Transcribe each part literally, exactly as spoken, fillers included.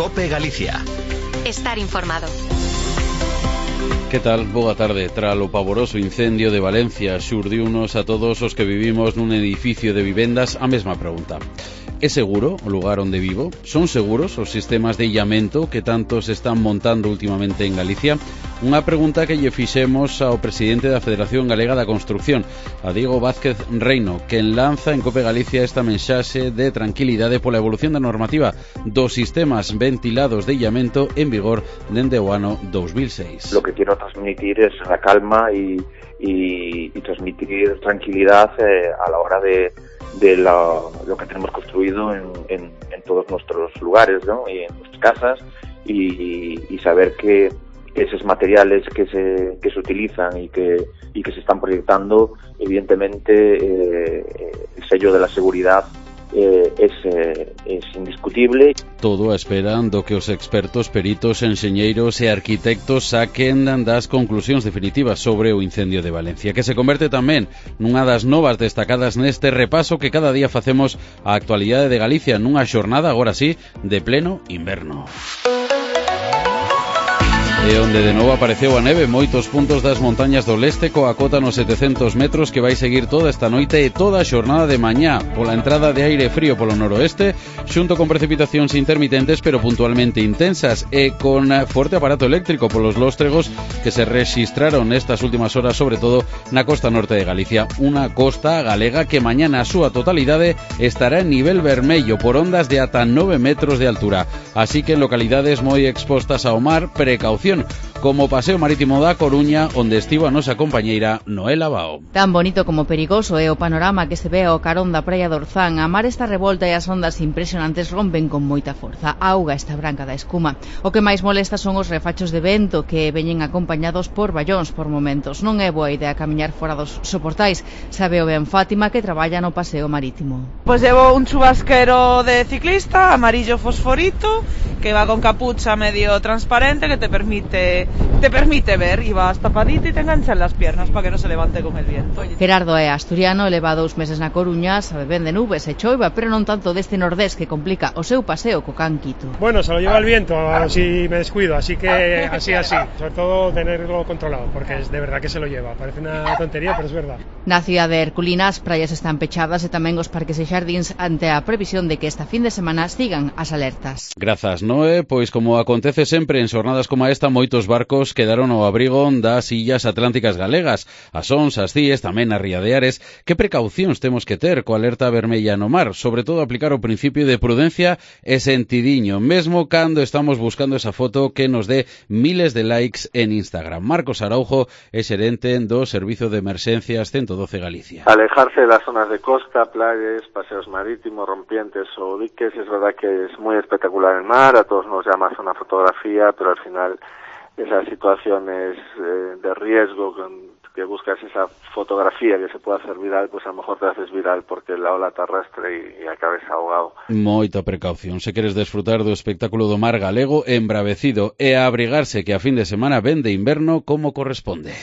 COPE Galicia. Estar informado. Que tal? Boa tarde. Tras o pavoroso incendio de Valencia, xurdiunos a todos os que vivimos nun edificio de vivendas a mesma pregunta. É seguro o lugar onde vivo? Son seguros os sistemas de illamento que tanto se están montando últimamente en Galicia? Unha pregunta que lle fixemos ao presidente da Federación Galega da Construcción, a Diego Vázquez Reino, que lanza en COPE Galicia esta mensaxe de tranquilidade pola evolución da normativa dos sistemas ventilados de illamento en vigor dende o ano dos mil seis. Lo que quiero transmitir es la calma y, y, y transmitir tranquilidad eh, a la hora de de la, lo que tenemos construido en, en, en todos nuestros lugares, ¿no? Y en nuestras casas y, y saber que esos materiales que se que se utilizan y que y que se están proyectando, evidentemente eh, el sello de la seguridad eh, es, eh, es indiscutible. Todo a espera do que os expertos, peritos, enxeñeiros e arquitectos saquen das conclusións definitivas sobre o incendio de Valencia, que se converte tamén nunha das novas destacadas neste repaso que cada día facemos a actualidade de Galicia nunha xornada, agora sí, de pleno inverno. E onde de novo apareceu a neve, moitos puntos das montañas do leste coa cota nos setecentos metros que vai seguir toda esta noite e toda a xornada de mañá pola entrada de aire frío polo noroeste, xunto con precipitacións intermitentes pero puntualmente intensas e con forte aparato eléctrico polos lóstregos que se rexistraron nestas últimas horas, sobre todo na costa norte de Galicia, unha costa galega que mañá na súa totalidade estará en nivel vermello por ondas de ata nove metros de altura, así que en localidades moi expostas ao mar, precaución, como o paseo marítimo da Coruña, onde estivo a nosa compañeira Noela Bao. Tan bonito como perigoso é o panorama que se ve ao carón da praia de Orzán. A mar está revolta e as ondas impresionantes rompen con moita forza. A auga está branca da escuma. O que máis molesta son os refachos de vento que veñen acompañados por ballóns por momentos. Non é boa idea camiñar fora dos soportais. Sabe o ben Fátima, que traballa no paseo marítimo. Pois llevo un chubasquero de ciclista, amarillo fosforito, que va con capucha medio transparente que te permite te permite ver, y vas tapadito y te enganchan las piernas para que no se levante con el viento. Gerardo é asturiano, leva dous meses na Coruña, sabe ben de nubes e choiva, pero non tanto deste nordés que complica o seu paseo co can Quito. Bueno, se lo lleva el viento si me descuido, así que así, así, sobre todo tenerlo controlado, porque es de verdad que se lo lleva, parece una tontería, pero es verdad. Na cidade de Herculina as praias están pechadas e tamén os parques e xardíns ante a previsión de que esta fin de semana sigan as alertas. Grazas, Noé, pois como acontece sempre en xornadas como esta, moitos barcos quedaron ao abrigo das illas atlánticas galegas, as Ons, as Cíes, tamén a Ría de Ares. Que precaucións temos que ter coa alerta vermella no mar? Sobre todo aplicar o principio de prudencia e sentidiño, mesmo cando estamos buscando esa foto que nos dé miles de likes en Instagram. Marcos Araujo é xerente do Servizo de Emerxencias ciento doce Galicia. Alejarse das zonas de costa, playas, paseos marítimos, rompientes o diques, es verdad que es muy espectacular el mar, a todos nos llama una fotografía, pero al final esas situaciones eh, de riesgo que buscas esa fotografía que se pueda hacer viral, pues a lo mejor te haces viral porque la ola te arrastre y, y acabes ahogado. Moita precaución, se queres desfrutar do espectáculo do mar galego embravecido e a abrigarse que a fin de semana ven de inverno como corresponde.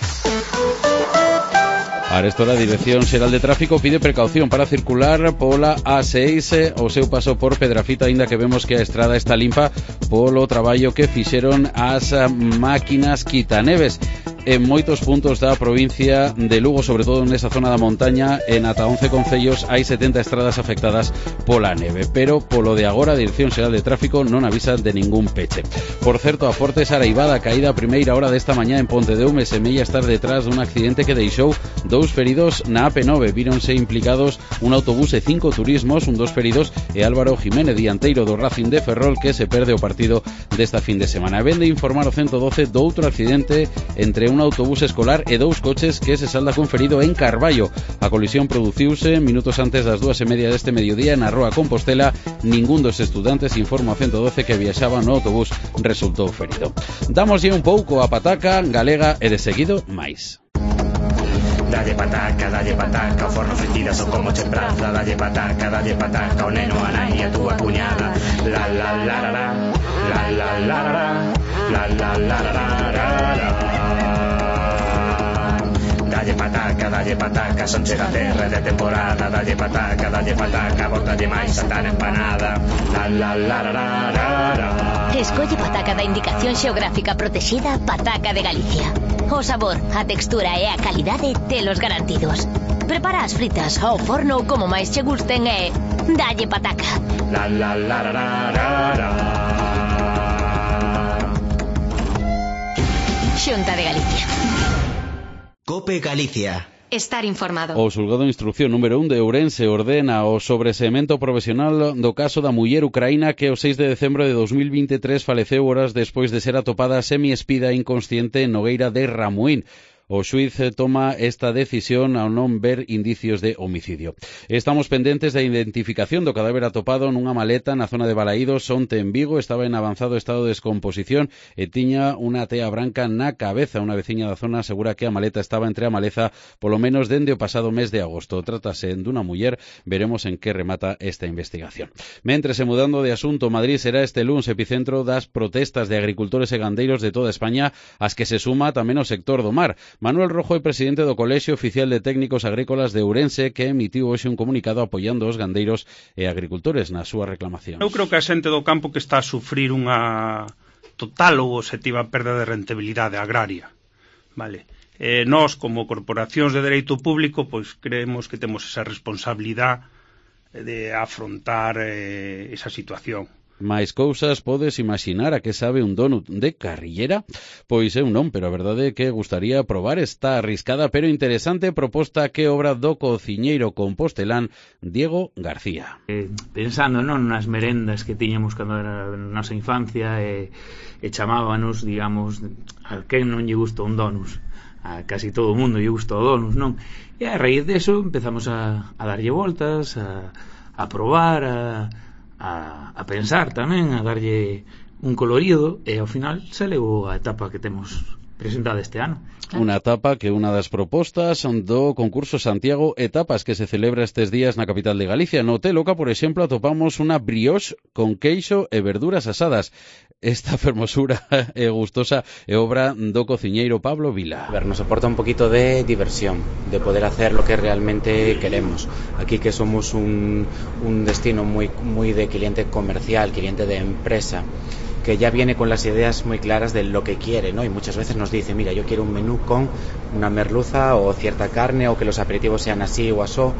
Arestora, a Dirección Xeral de Tráfico pide precaución para circular pola A seis o seu paso por Pedrafita, aínda que vemos que a estrada está limpa polo traballo que fixeron as máquinas quitaneves. En moitos puntos da provincia de Lugo, sobre todo nesa zona da montaña, en ata once concellos hai setenta estradas afectadas pola neve, pero polo de agora a Dirección Xeral de Tráfico non avisa de ningún peche. Por certo, a forte saraivada caída a primeira hora desta mañá en Pontedeume semella estar detrás dun accidente que deixou dous feridos na A P nove. Víronse implicados un autobús e cinco turismos, un dos feridos e Álvaro Jiménez, dianteiro do Racing de Ferrol, que se perde o partido desta fin de semana. Ven de informar o ciento doce do outro accidente entre un autobús escolar e dous coches que se salda con ferido en Carballo. A colisión produciuse minutos antes das dúas e media deste mediodía na Roa Compostela. Ningún dos estudantes, informa o ciento doce, que viaxaba no autobús resultou ferido. Damoslle un pouco a pataca galega e de seguido máis. Dalle pataca, dalle pataca, o forno fritida son como che praza. Dalle pataca, dalle pataca, o neno, a nai e a túa cuñada. La la la la la, la la la la la, la la la la la la. dalle pataca, dalle pataca, son chega terra de temporada, dalle pataca, dalle pataca, botalle máis a tan empanada. La la la la la la la. Escolle pataca da indicación xeográfica protexida Pataca de Galicia. O sabor, a textura e a calidade telos garantidos. Prepara as fritas ao forno como máis che gusten e dalle pataca. La la la la la la la. Xunta de Galicia. Cope Galicia. Estar informado. O xulgado de instrucción número un de Ourense ordena o sobreseemento profesional do caso da muller ucraína que o seis de decembro de dos mil veintitrés faleceu horas despois de ser atopada semi-espida inconsciente en Nogueira de Ramuín. O xuíz toma esta decisión ao non ver indicios de homicidio. Estamos pendentes da identificación do cadáver atopado nunha maleta na zona de Balaídos, onte en Vigo. Estaba en avanzado estado de descomposición e tiña unha tea branca na cabeza. Unha veciña da zona asegura que a maleta estaba entre a maleza polo menos dende o pasado mes de agosto. Trátase dunha muller. Veremos en que remata esta investigación. Mentres, e mudando de asunto, Madrid será este luns epicentro das protestas de agricultores e gandeiros de toda España, as que se suma tamén o sector do mar. Manuel Rojo é presidente do Colexio Oficial de Técnicos Agrícolas de Ourense, que emitiu hoxe un comunicado apoiando os gandeiros e agricultores na súa reclamación. Eu creo que a xente do campo que está a sufrir unha total ou obxectiva perda de rentabilidade agraria. Vale. Eh, nós, como corporacións de dereito público, pois creemos que temos esa responsabilidade de afrontar eh, esa situación. máis cousas podes imaginar a que sabe un donut de carrillera? Pois eu non, pero a verdade é que gustaría probar esta arriscada pero interesante proposta que obra do cociñeiro compostelán Diego García. Eh, pensando non nas merendas que tiñamos cando era na nosa infancia e, e chamábanos, digamos, a quen non lle gusta un donus, a casi todo o mundo lle gusta o donus, non? E a raíz deso empezamos a, a darlle voltas, a, a probar, a A, a pensar tamén, a darlle un colorido e ao final se levou a etapa que temos presentada este ano. Unha etapa que unha das propostas do concurso Santiago Etapas que se celebra estes días na capital de Galicia. No Hotel Oca, por exemplo, atopamos unha brioche con queixo e verduras asadas. Esta fermosura e gustosa é obra do cociñeiro Pablo Vila. A ver, nos aporta un poquito de diversión, de poder hacer lo que realmente queremos. Aquí que somos un, un destino muy, muy de cliente comercial, cliente de empresa, que ya viene con las ideas muy claras de lo que quiere, ¿no? Y muchas veces nos dice, mira, yo quiero un menú con una merluza o cierta carne, o que los aperitivos sean así o asó,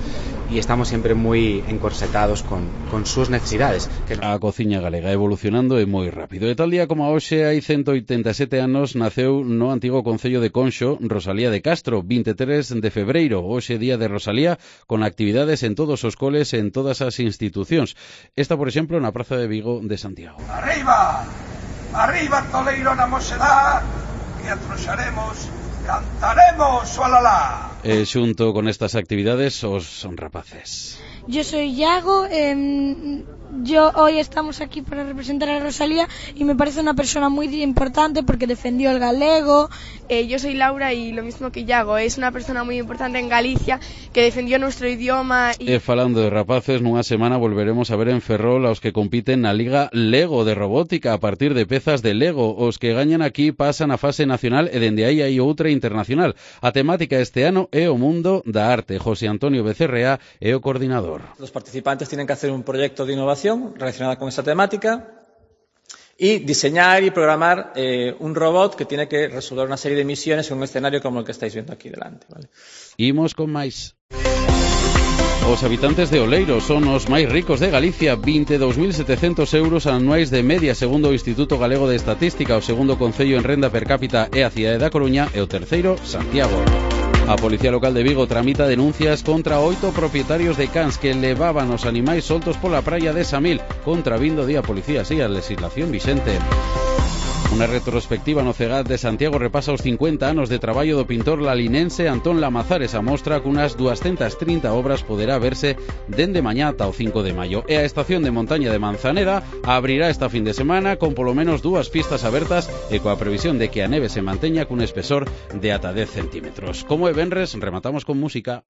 y estamos siempre muy encorsetados con, con sus necesidades. Que... A cociña galega evolucionando é moi rápido. E tal día como a hoxe hai ciento oitenta e sete anos naceu no antigo concello de Conxo Rosalía de Castro, vinte e tres de febreiro, hoxe día de Rosalía, con actividades en todos os coles e en todas as institucións. Esta, por exemplo, na Praza de Vigo de Santiago. Arriba! Arriba Toleiro na mosedad, que atroxaremos, cantaremos, olalá. E xunto con estas actividades, os son rapaces. Yo soy Iago, eh, yo hoy estamos aquí para representar a Rosalía y me parece una persona muy importante porque defendió el galego. Eh, yo soy Laura y lo mismo que Iago, es una persona muy importante en Galicia que defendió nuestro idioma. Y... E falando de rapaces, nunha semana volveremos a ver en Ferrol aos que compiten na Liga Lego de Robótica a partir de pezas de Lego. Os que gañan aquí pasan a fase nacional e dende aí hai outra internacional. A temática este ano é o mundo da arte. José Antonio Becerrea é o coordinador. Los participantes tienen que hacer un proyecto de innovación relacionado con esta temática y diseñar y programar eh, un robot que tiene que resolver una serie de misiones en un escenario como el que estáis viendo aquí delante. ¿Vale? Imos con máis. Os habitantes de Oleiro son os máis ricos de Galicia, vinte e dous mil setecentos euros anuais de media, segundo o Instituto Galego de Estatística. O segundo concello en renda per cápita é a cidade da Coruña e o terceiro, Santiago. A Policía Local de Vigo tramita denuncias contra oito propietarios de cans que levaban os animais soltos pola praia de Samil, contravindo di a policía, así a legislación vixente. Unha retrospectiva no CEGAT de Santiago repasa os cincuenta anos de traballo do pintor lalinense Antón Lamazares. A mostra cunhas duascentas trinta obras poderá verse dende mañá ata o cinco de maio. E a estación de montaña de Manzaneda abrirá esta fin de semana con polo menos dúas pistas abertas e coa previsión de que a neve se manteña cun espesor de ata dez centímetros. Como é venres, rematamos con música.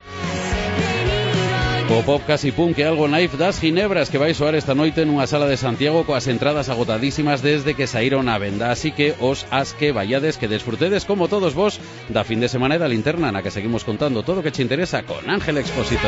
O pop casi punk que algo naif das Ginebras que vai soar esta noite nunha sala de Santiago coas entradas agotadísimas desde que saíron á venda. Así que os as que vayades que desfrutedes como todos vos da fin de semana e da linterna na que seguimos contando todo o que che interesa con Ángel Expósito.